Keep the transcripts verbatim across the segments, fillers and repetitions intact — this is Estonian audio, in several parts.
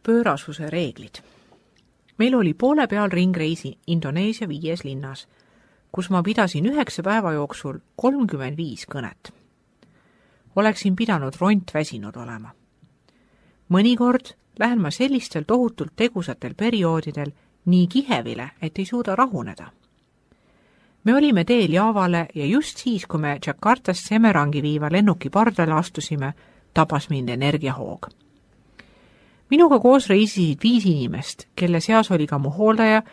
Pöörasuse reeglid. Meil oli poole peal ringreisi Indoneesia viies linnas, kus ma pidasin üheksa päeva jooksul kolmkümmend viis kõnet. Oleksin pidanud ront väsinud olema. Mõnikord lähen ma sellistel tohutult tegusatel perioodidel nii kihevile, et ei suuda rahuneda. Me olime teel Javale ja just siis, kui me Jakartast Semerangi viiva lennuki pardale astusime, tabas mind energiahoog. Minuga koos reisisid viis inimest, kelle seas oli ka mu hooldaja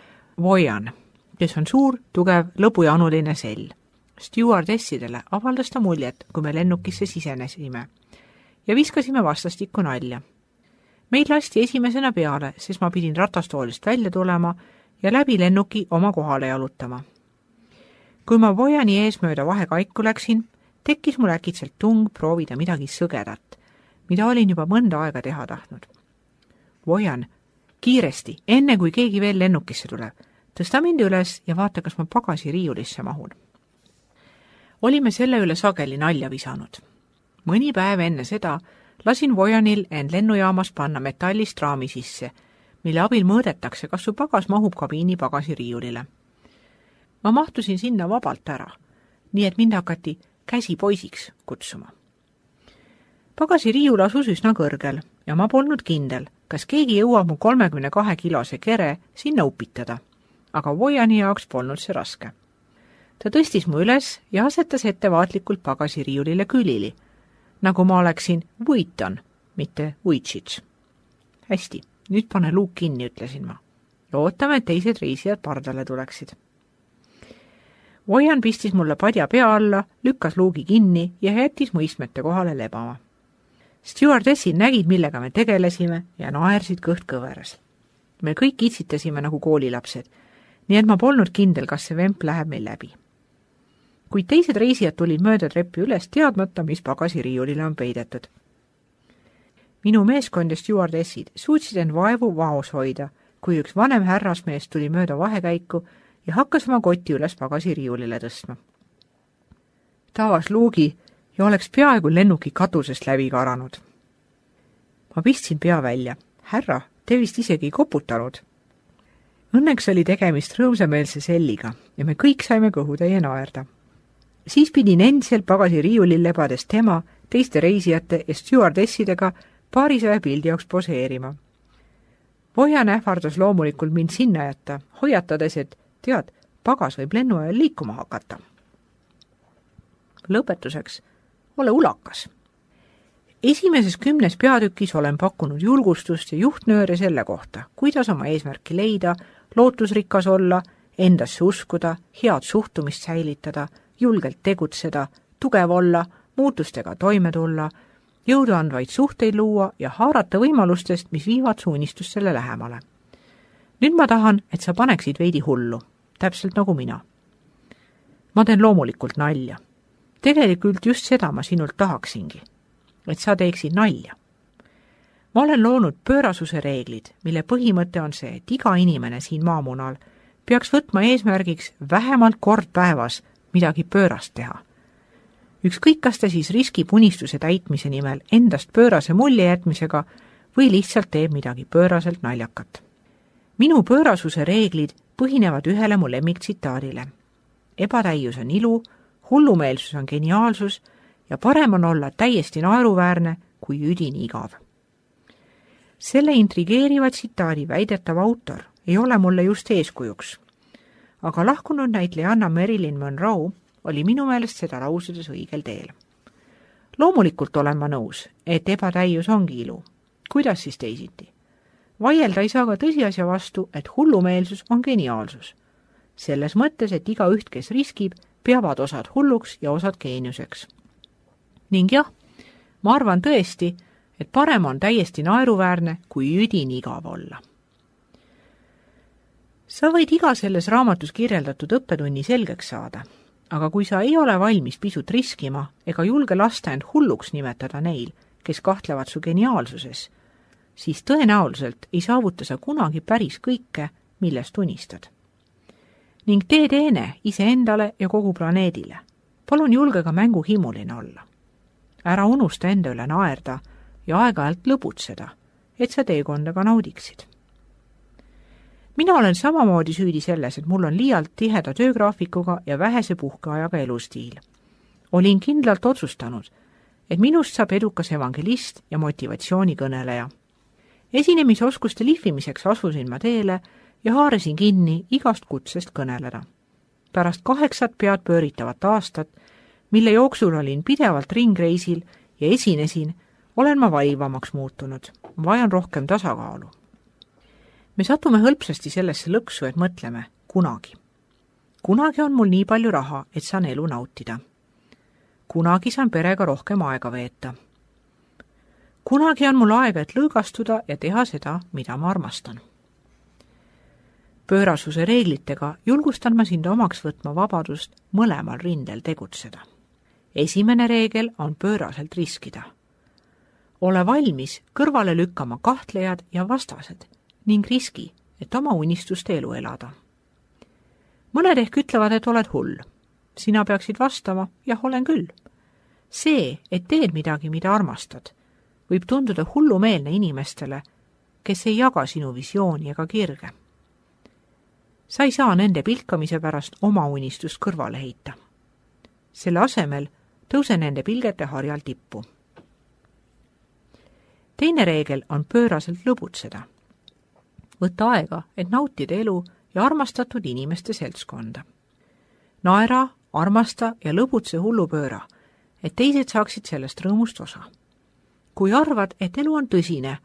Vojan, kes on suur, tugev, lõbujanuline sell. Stewardessidele avaldas ta muljet, kui me lennukisse sisenesime ja viskasime vastastikku nalja. Meid lasti esimesena peale, sest ma pidin ratastoolist välja tulema ja läbi lennuki oma kohale jalutama. Kui ma Vojani eesmööda vahekaiku läksin, tekkis mul äkitselt tung proovida midagi sõgedat, mida olin juba mõnda aega teha tahtnud. Vojan, kiiresti, enne kui keegi veel lennukisse tuleb, tõsta mind üles ja vaata, kas ma pagasi riiulisse mahun. Olime selle üle sageli nalja visanud. Mõni päev enne seda lasin Vojanil end lennujaamas panna metallist raami sisse, mille abil mõõdetakse, kas su pagas mahub kabiini pagasiriiulile. Ma mahtusin sinna vabalt ära, nii et mind hakati käsipoisiks kutsuma. Pagasiriiul asus üsna kõrgel ja ma polnud kindel, kas keegi jõuab mu kolmekümne kahe kilose kere sinna upitada, aga Vojani jaoks polnud see raske. Ta tõstis mu üles ja asetas ettevaatlikult pagasiriiulile külili, nagu ma oleksin Vuiton, mitte Vuitšits. Hästi, nüüd pane luuk kinni, ütlesin ma. Ja ootame, et teised reisijad pardale tuleksid. Vojan pistis mulle padja pea alla, lükkas luugi kinni ja jättis mu istmete kohale lebama. Stewardessid nägid, millega me tegelesime ja naersid kõht kõveras. Me kõik itsitasime nagu koolilapsed, nii et ma polnud kindel, kas see vemp läheb meil läbi. Kuid teised reisijad tulid mööda treppi üles teadmata, mis pagasiriiulile on peidetud. Minu meeskond ja stewardessid suutsid end vaevu vaos hoida, kui üks vanem härrasmees tuli mööda vahekäiku ja hakkas oma kotti üles pagasiriiulile tõstma. Ta avas luugi ja oleks peaaegu lennuki katusest läbi karanud. Ma pistsin pea välja. Härra, te vist isegi ei koputanud. Õnneks oli tegemist rõõmsameelse selliga ja me kõik saime kõhutäie naerda. Siis pidin endiselt pagasiriiulil lebades tema, teiste reisijate ja stewardessidega paarisaja pildi jaoks poseerima. Vojan ähvardas loomulikult mind sinna jätta, hoiatades, et tead, pagas võib lennu ajal liikuma hakata. Lõpetuseks, ole ulakas. Esimeses kümnes peatükis olen pakkunud julgustust ja juhtnööre selle kohta, kuidas oma eesmärki leida, lootusrikas olla, endasse uskuda, head suhtumist säilitada, julgelt tegutseda, tugev olla, muutustega toime tulla, jõudu andvaid suhteid luua ja haarata võimalustest, mis viivad su unistustele lähemale. Nüüd ma tahan, et sa paneksid veidi hullu, täpselt nagu mina. Ma teen loomulikult nalja. Tegelikult just seda ma sinult tahaksingi, et sa teeksid nalja. Ma olen loonud pöörasuse reeglid, mille põhimõte on see, et iga inimene siin maamunal peaks võtma eesmärgiks vähemalt kord päevas midagi pöörast teha. Ükskõik, kas ta siis riskib unistuse täitmise nimel endast pöörase mulje jätmisega või lihtsalt teeb midagi pööraselt naljakat. Minu pöörasuse reeglid põhinevad ühele mu lemmiktsitaadile. Ebatäius on ilu, hullumeelsus on geniaalsus ja parem on olla täiesti naeruväärne kui üdini igav. Selle intrigeeriva tsitaadi väidetav autor ei ole mulle just eeskujuks, aga lahkunud näitlejanna Marilyn Monroe oli minu meelest seda lausudes õigel teel. Loomulikult olen ma nõus, et ebatäius ongi ilu. Kuidas siis teisiti? Vaielda ei saa ka tõsiasja vastu, et hullumeelsus on geniaalsus. Selles mõttes, et iga üht, kes riskib, peavad osad hulluks ja osad geeniuseks. Ning jah, ma arvan tõesti, et parem on täiesti naeruväärne kui üdini igav olla. Sa võid iga selles raamatus kirjeldatud õppetunni selgeks saada, aga kui sa ei ole valmis pisut riskima ega julge lasta end hulluks nimetada neil, kes kahtlevad su geniaalsuses, siis tõenäoliselt ei saavuta sa kunagi päris kõike, millest unistad. Ning tee teene iseendale ja kogu planeedile. Palun julge ka mänguhimuline olla. Ära unusta enda üle naerda ja aeg-ajalt lõbutseda, et sa teekonda ka naudiksid. Mina olen samamoodi süüdi selles, et mul on liialt tiheda töögraafikuga ja vähese puhkeajaga elustiil. Olin kindlalt otsustanud, et minust saab edukas evangelist ja motivatsioonikõneleja. Esinemisoskuste lihvimiseks asusin ma teele ja haarasin kinni igast kutsest kõneleda. Pärast kaheksat pead pööritavat aastat, mille jooksul olin pidevalt ringreisil ja esinesin, olen ma valivamaks muutunud. Vajan rohkem tasakaalu. Me satume hõlpsasti sellesse lõksu, et mõtleme kunagi. Kunagi on mul nii palju raha, et saan elu nautida. Kunagi saan perega rohkem aega veeta. Kunagi on mul aega, et lõõgastuda ja teha seda, mida ma armastan. Pöörasuse reeglitega julgustan ma sind omaks võtma vabadust mõlemal rindel tegutseda. Esimene reegel on pööraselt riskida. Ole valmis kõrvale lükkama kahtlejad ja vastased ning riski, et oma unistuste elu elada. Mõned ehk ütlevad, et oled hull. Sina peaksid vastama, jah, olen küll. See, et teed midagi, mida armastad, võib tunduda hullumeelne inimestele, kes ei jaga sinu visiooni ega kirge. Sa ei saa nende pilkamise pärast oma unistust kõrvale heita. Selle asemel tõuse nende pilgete harjal tippu. Teine reegel on pööraselt lõbutseda. Võtta aega, et nautida elu ja armastatud inimeste seltskonda. Naera, armasta ja lõbutse hullupööra, et teised saaksid sellest rõõmust osa. Kui arvad, et elu on tõsine,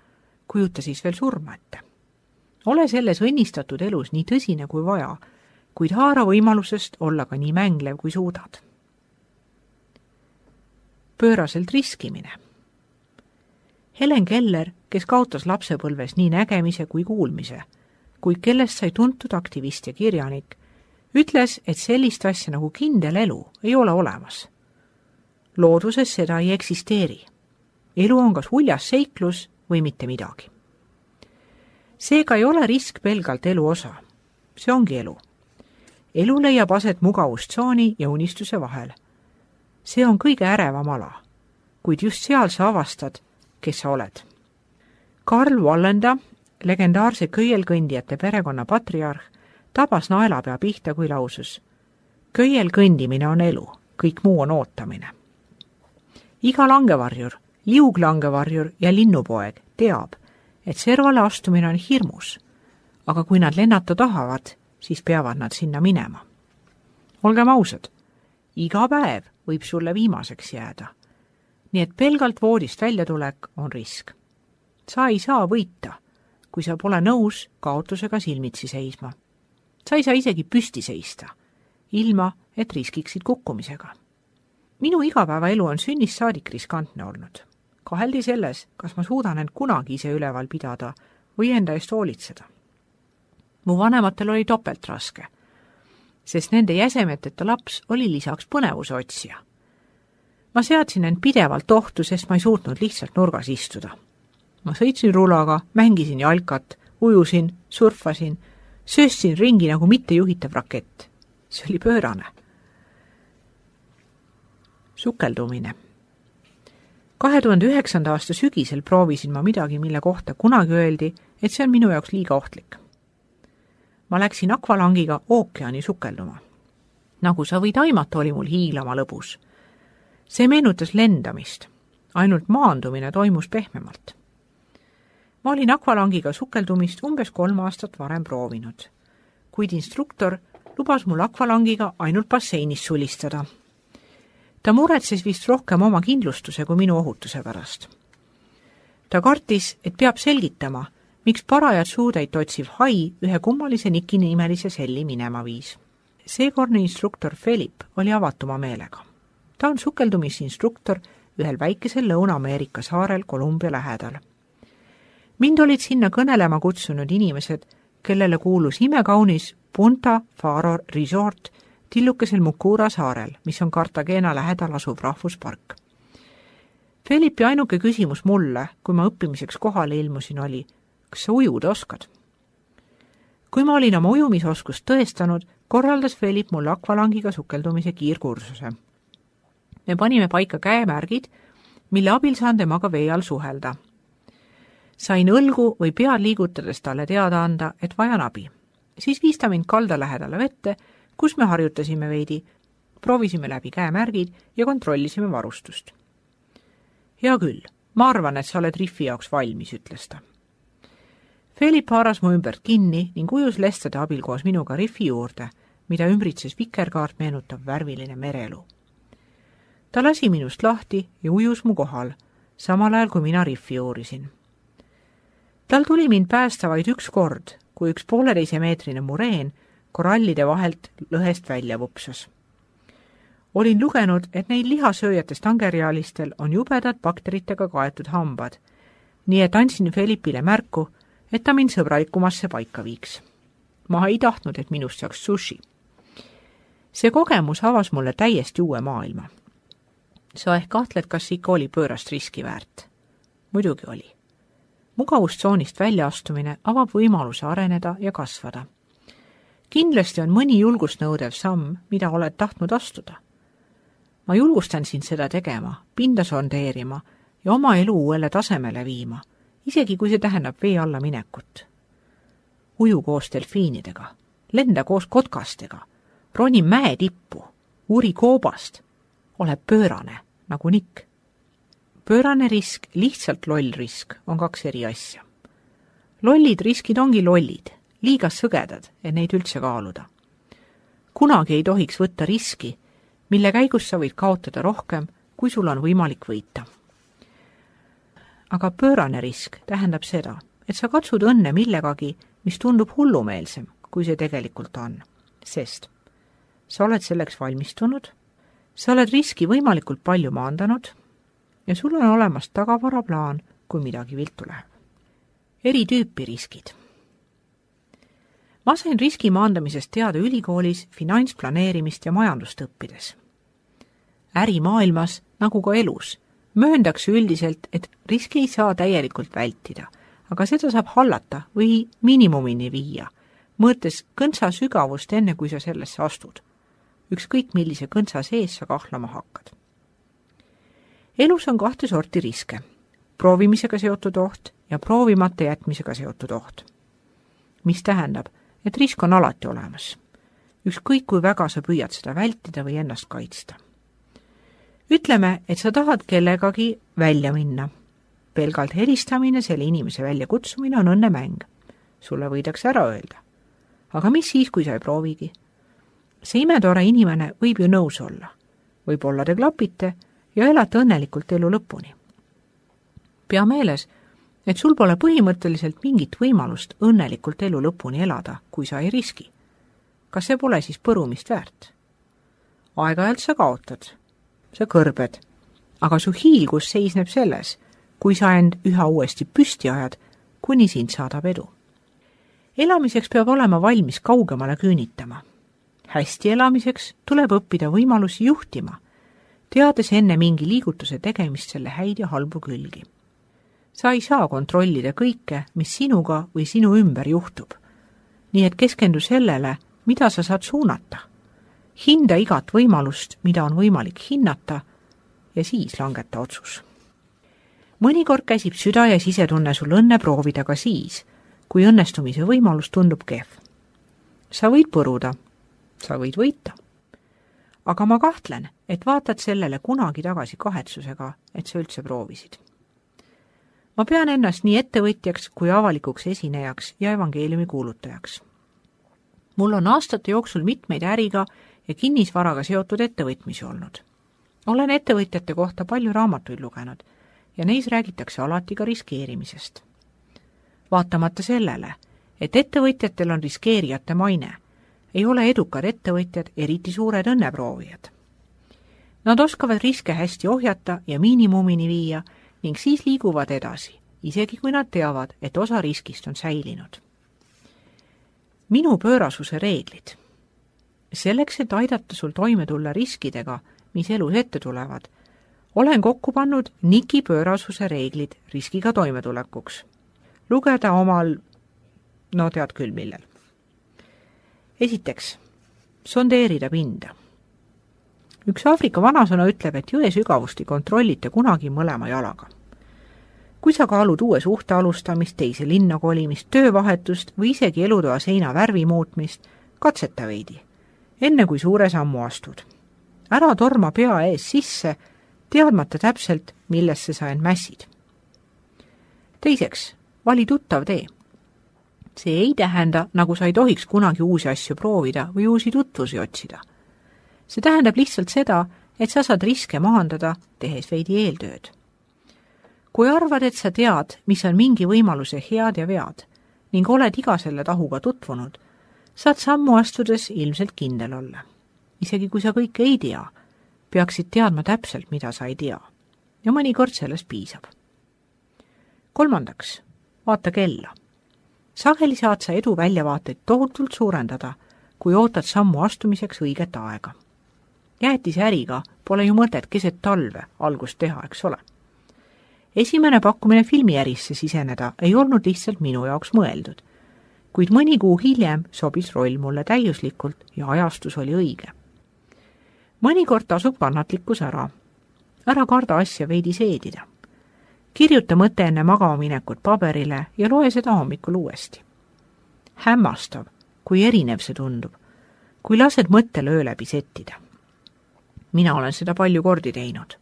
kujuta siis veel surma ette. Ole selles õnnistatud elus nii tõsine kui vaja, kuid haara võimalusest olla ka nii mänglev kui suudad. Pööraselt riskimine. Helen Keller, kes kaotas lapsepõlves nii nägemise kui kuulmise, kuid kellest sai tuntud aktivist ja kirjanik, ütles, et sellist asja nagu kindel elu ei ole olemas. Looduses seda ei eksisteeri. Elu on kas uljas seiklus või mitte midagi. Seega ei ole risk pelgalt elu osa. See ongi elu. Elu leiab aset mugavustsooni ja unistuse vahel. See on kõige ärevam ala, kuid just seal sa avastad, kes sa oled. Karl Wallenda, legendaarse köielkõndijate perekonna patriarh, tabas naelapea pihta, kui lausus: köielkõndimine on elu, kõik muu on ootamine. Iga langevarjur, liuglangevarjur ja linnupoeg teab, et servale astumine on hirmus, aga kui nad lennata tahavad, siis peavad nad sinna minema. Olgem ausad, iga päev võib sulle viimaseks jääda, nii et pelgalt voodist väljatulek on risk. Sa ei saa võita, kui sa pole nõus kaotusega silmitsi seisma. Sa ei saa isegi püsti seista, ilma et riskiksid kukkumisega. Minu igapäevaelu on sünnist saadik riskantne olnud. Kaheldi selles, kas ma suudan end kunagi ise üleval pidada või enda eest hoolitseda. Mu vanematel oli topelt raske, sest nende jäsemeteta laps oli lisaks põnevuse otsija. Ma seadsin end pidevalt ohtu, sest ma ei suutnud lihtsalt nurgas istuda. Ma sõitsin rulaga, mängisin jalkat, ujusin, surfasin, söössin ringi nagu mittejuhitav rakett. See oli pöörane. Sukeldumine. kahe tuhande üheksanda aasta sügisel proovisin ma midagi, mille kohta kunagi öeldi, et see on minu jaoks liiga ohtlik. Ma läksin akvalangiga ookeani sukelduma. Nagu sa võid aimata, oli mul hiilama lõbus. See meenutas lendamist, ainult maandumine toimus pehmemalt. Ma olin akvalangiga sukeldumist umbes kolm aastat varem proovinud, kuid instruktor lubas mul akvalangiga ainult basseinis sulistada. Ta muretses vist rohkem oma kindlustuse kui minu ohutuse pärast. Ta kartis, et peab selgitama, miks parajad suutäit otsiv hai ühe kummalise nikinimelise selli minema viis. Seekordne instruktor Philip oli avatuma meelega. Ta on sukeldumisinstruktor ühel väikesel Lõuna-Ameerika saarel Kolumbia lähedal. Mind olid sinna kõnelema kutsunud inimesed, kellele kuulus imekaunis Punta Faro Resort tillukesel Mukura saarel, mis on Cartagena lähedal asuv rahvuspark. Felipi ainuke küsimus mulle, kui ma õppimiseks kohale ilmusin, oli: kas sa ujuda oskad? Kui ma olin oma ujumisoskust tõestanud, korraldas Felip mulle akvalangiga sukeldumise kiirkursuse. Me panime paika käemärgid, mille abil saan temaga vee all suhelda. Sain õlgu või pead liigutades talle teada anda, et vajan abi. Siis viis ta mind kalda lähedale vette, kus me harjutasime veidi, proovisime läbi käemärgid ja kontrollisime varustust. Hea küll, ma arvan, et sa oled riffi jaoks valmis, ütles ta. Philip haaras mu ümbert kinni ning ujus lestade abil koos minuga riffi juurde, mida ümbritses vikerkaart meenutav värviline merelu. Ta lasi minust lahti ja ujus mu kohal, samal ajal kui mina riffi uurisin. Tal tuli mind päästa vaid üks kord, kui üks pooleteise meetrine mureen korallide vahelt lõhest välja vupsas. Olin lugenud, et neil lihasööjatest angerjalistel on jubedad bakteritega kaetud hambad, nii et andsin Felipile märku, et ta mind sõbralikumasse paika viiks. Ma ei tahtnud, et minust saaks sushi. See kogemus avas mulle täiesti uue maailma. Sa ehk kahtled, kas ikka oli pöörast riski väärt? Muidugi oli. Mugavustsoonist väljaastumine avab võimaluse areneda ja kasvada. Kindlasti on mõni julgust nõudev samm, mida oled tahtnud astuda. Ma julgustan sind seda tegema, pinda sondeerima ja oma elu uuele tasemele viima, isegi kui see tähendab vee alla minekut. Uju koos delfiinidega, lenda koos kotkastega, roni mäe tippu, uuri koobast, ole pöörane, nagu Nick. Pöörane risk, lihtsalt loll risk on kaks eri asja. Lollid riskid ongi lollid, liiga sõgedad, et neid üldse kaaluda. Kunagi ei tohiks võtta riski, mille käigus sa võid kaotada rohkem, kui sul on võimalik võita. Aga pöörane risk tähendab seda, et sa katsud õnne millegagi, mis tundub hullumeelsem, kui see tegelikult on, sest sa oled selleks valmistunud, sa oled riski võimalikult palju maandanud ja sul on olemas tagavaraplaan, kui midagi viltu läheb. Eri tüüpi riskid. Ma sain riski maandamisest teada ülikoolis finantsplaneerimist ja majandust õppides. Ärimaailmas, nagu ka elus, mööndakse üldiselt, et riski ei saa täielikult vältida, aga seda saab hallata või miinimumini viia, mõõtes kõntsa sügavust enne, kui sa sellesse astud. Ükskõik millise kõntsa sees sa kahlama hakkad. Elus on kahte sorti riske, proovimisega seotud oht ja proovimata jätmisega seotud oht. Mis tähendab, et risk on alati olemas. Ükskõik kui väga sa püüad seda vältida või ennast kaitsta. Ütleme, et sa tahad kellegagi välja minna. Pelgalt helistamine, selle inimese väljakutsumine on õnnemäng. Sulle võidakse ära öelda. Aga mis siis, kui sa ei proovigi? See imetore inimene võib ju nõus olla. Võib-olla te klapite ja elate õnnelikult elu lõpuni. Pea meeles, et sul pole põhimõtteliselt mingit võimalust õnnelikult elu lõpuni elada, kui sa ei riski. Kas see pole siis põrumist väärt? Aeg-ajalt sa kaotad, sa kõrbed, aga su hiilgus seisneb selles, kui sa end üha uuesti püsti ajad, kuni sind saadab edu. Elamiseks peab olema valmis kaugemale küünitama. Hästi elamiseks tuleb õppida võimalusi juhtima, teades enne mingi liigutuse tegemist selle häid ja halbu külgi. Sa ei saa kontrollida kõike, mis sinuga või sinu ümber juhtub. Nii et keskendu sellele, mida sa saad suunata. Hinda igat võimalust, mida on võimalik hinnata, ja siis langeta otsus. Mõnikord käsib süda ja sisetunne sul õnne proovida ka siis, kui õnnestumise võimalus tundub kehv. Sa võid põruda, sa võid võita. Aga ma kahtlen, et vaatad sellele kunagi tagasi kahetsusega, et sa üldse proovisid. Ma pean ennast nii ettevõtjaks kui avalikuks esinejaks ja evangeeliumi kuulutajaks. Mul on aastate jooksul mitmeid äriga ja kinnisvaraga seotud ettevõtmisi olnud. Olen ettevõtjate kohta palju raamatuid lugenud ja neis räägitakse alati ka riskeerimisest. Vaatamata sellele, et ettevõtjatel on riskeerijate maine, ei ole edukad ettevõtjad eriti suured õnneproovijad. Nad oskavad riske hästi ohjata ja miinimumini viia ning siis liiguvad edasi, isegi kui nad teavad, et osa riskist on säilinud. Minu pöörasuse reeglid. Selleks, et aidata sul toime tulla riskidega, mis elus ette tulevad, olen kokku pannud Niki pöörasuse reeglid riskiga toimetulekuks. Lugeda omal, no tead küll millel. Esiteks, sondeerida pinda. Üks Aafrika vanasõna ütleb, et jõe sügavust ei kontrollita kunagi mõlema jalaga. kui sa kaalud uue suhte alustamist, teise linna kolimist, töövahetust või isegi elutoa seina värvi muutmist, katseta veidi, enne kui suure sammu astud. Ära torma pea ees sisse, teadmata täpselt, millesse sa end mässid. Teiseks, vali tuttav tee. See ei tähenda, nagu sa ei tohiks kunagi uusi asju proovida või uusi tutvusi otsida. See tähendab lihtsalt seda, et sa saad riske maandada, tehes veidi eeltööd. Kui arvad, et sa tead, mis on mingi võimaluse head ja vead ning oled iga selle tahuga tutvunud, saad sammu astudes ilmselt kindel olla. Isegi kui sa kõike ei tea, peaksid teadma täpselt, mida sa ei tea. Ja mõnikord sellest piisab. Kolmandaks, vaata kella. Sageli saad sa edu väljavaateid tohutult suurendada, kui ootad sammu astumiseks õiget aega. Jäätise äriga pole ju mõtet keset talve algust teha, eks ole. Esimene pakkumine filmiärisse siseneda ei olnud lihtsalt minu jaoks mõeldud, kuid mõni kuu hiljem sobis roll mulle täiuslikult ja ajastus oli õige. Mõnikord tasub kannatlikkus ära. Ära karda asja veidi seedida. Kirjuta mõte enne magama minekut paberile ja loe seda hommikul uuesti. Hämmastav, kui erinev see tundub, kui lased mõttele öö läbi settida. Mina olen seda palju kordi teinud.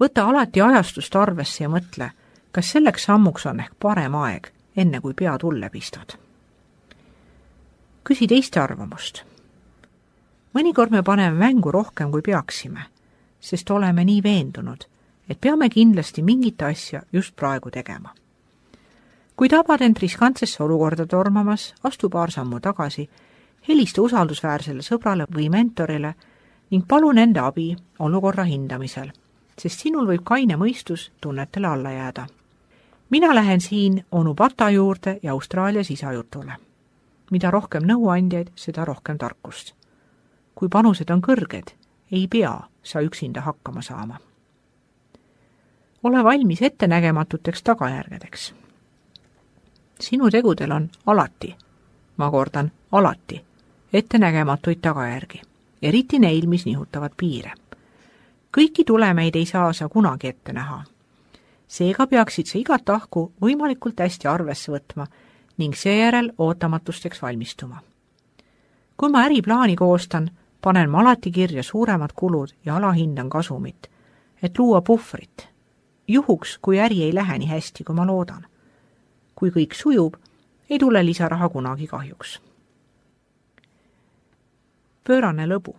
Võta alati ajastust arvesse ja mõtle, kas selleks sammuks on ehk parem aeg, enne kui pea tulle pistad. Küsi teiste arvamust. Mõnikord me paneme mängu rohkem, kui peaksime, sest oleme nii veendunud, et peame kindlasti mingit asja just praegu tegema. Kui tabad end riskantsesse olukorda tormamas, astu paar sammu tagasi, helista usaldusväärsele sõbrale või mentorile ning palun enda abi olukorra hindamisel, sest sinul võib kaine mõistus tunnetele alla jääda. Mina lähen siin onu Pata juurde ja Austraalias isajutule. Mida rohkem nõuandjaid, seda rohkem tarkust. Kui panused on kõrged, ei pea sa üksinda hakkama saama. Ole valmis ettenägematuteks tagajärgedeks. Sinu tegudel on alati, ma kordan, alati, ettenägematuid tagajärgi, eriti neil, mis nihutavad piire. Kõiki tulemeid ei saa sa kunagi ette näha. Seega peaksid sa igat tahku võimalikult hästi arvesse võtma ning seejärel ootamatusteks valmistuma. Kui ma äriplaani koostan, panen ma alati kirja suuremad kulud ja alahindan kasumit, et luua puhvrit. Juhuks, kui äri ei lähe nii hästi, kui ma loodan. Kui kõik sujub, ei tule lisaraha kunagi kahjuks. Pöörane lõbu.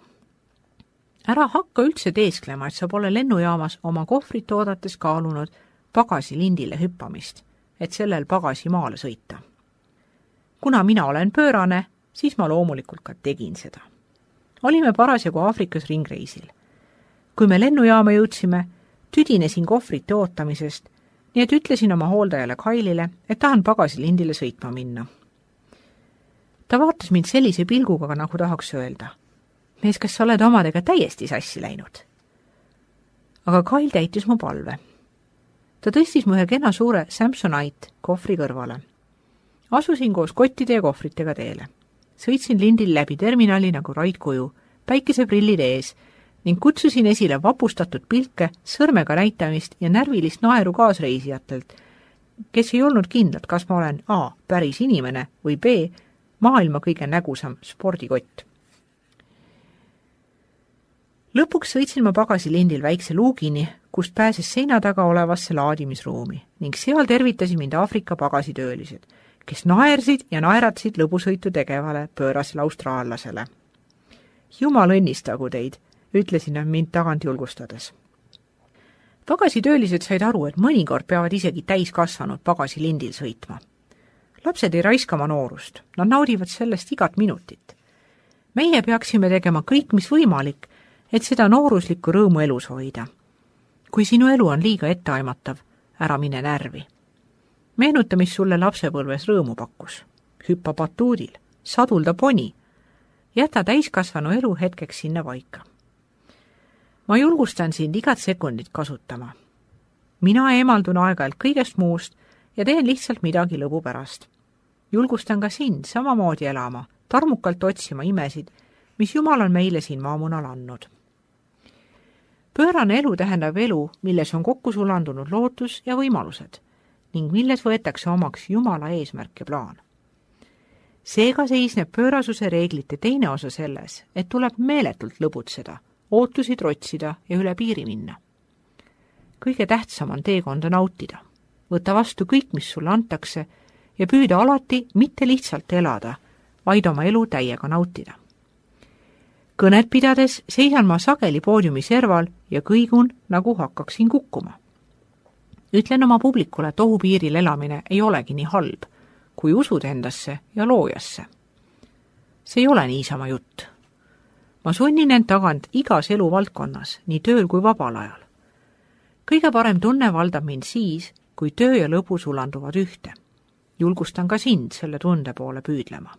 Ära hakka üldse teesklema, et sa pole lennujaamas oma kohvrit oodates kaalunud pagasi lindile hüppamist, et sellel pagasi maale sõita. Kuna mina olen pöörane, siis ma loomulikult ka tegin seda. Olime parasjagu Aafrikas ringreisil. Kui me lennujaama jõudsime, tüdinesin kohvrite ootamisest, nii et ütlesin oma hooldajale Kailile, et tahan pagasilindile sõitma minna. Ta vaatas mind sellise pilguga, nagu tahaks öelda. Mees, kas sa oled omadega täiesti sassi läinud? Aga Kail täitis mu palve. Ta tõstis mu ühe kena suure Samsonite kohvri kõrvale. Asusin koos kottide ja kohvritega teele. Sõitsin lindil läbi terminali nagu raidkuju, päikeseprillid ees ning kutsusin esile vapustatud pilke, sõrmega näitamist ja närvilist naeru kaasreisijatelt, kes ei olnud kindlad, kas ma olen A. päris inimene või B. maailma kõige nägusam spordikott. Lõpuks sõitsin ma pagasilindil väikse luugini, kust pääses seina taga olevasse laadimisruumi ning seal tervitasid mind Aafrika pagasitöölised, kes naersid ja naeratsid lõbusõitu tegevale pöörasele austraallasele. Jumal õnnistagu teid, ütlesin nad mind tagant julgustades. Pagasitöölised said aru, et mõnikord peavad isegi täiskasvanud pagasilindil sõitma. Lapsed ei raiska oma noorust, nad naudivad sellest igat minutit. Meie peaksime tegema kõik, mis võimalik, et seda nooruslikku rõõmu elus hoida. Kui sinu elu on liiga etteaimatav, ära mine närvi. Meenuta, mis sulle lapsepõlves rõõmu pakkus. Hüppa batuudil, sadulda poni. Jäta täiskasvanu elu hetkeks sinna paika. Ma julgustan sind igat sekundit kasutama. Mina eemaldun aeg-ajalt kõigest muust ja teen lihtsalt midagi lõbu pärast. Julgustan ka sind samamoodi elama, tarmukalt otsima imesid, mis Jumal on meile siin maamunal andnud. pöörane elu tähendab elu, milles on kokku sulandunud lootus ja võimalused ning milles võetakse omaks Jumala eesmärk ja plaan. Seega seisneb pöörasuse reeglite teine osa selles, et tuleb meeletult lõbutseda, ootusi trotsida ja üle piiri minna. Kõige tähtsam on teekonda nautida. Võta vastu kõik, mis sulle antakse ja püüda alati mitte lihtsalt elada, vaid oma elu täiega nautida. Kõnet pidades seisan ma sageli poodiumi serval ja kõigun, nagu hakkaksin kukkuma. Ütlen oma publikule, et ohupiiril elamine ei olegi nii halb, kui usud endasse ja loojasse. See ei ole niisama jutt. Ma sunnin end tagant igas eluvaldkonnas, nii tööl kui vabal ajal. Kõige parem tunne valdab mind siis, kui töö ja lõbu sulanduvad ühte. Julgustan ka sind selle tunde poole püüdlema.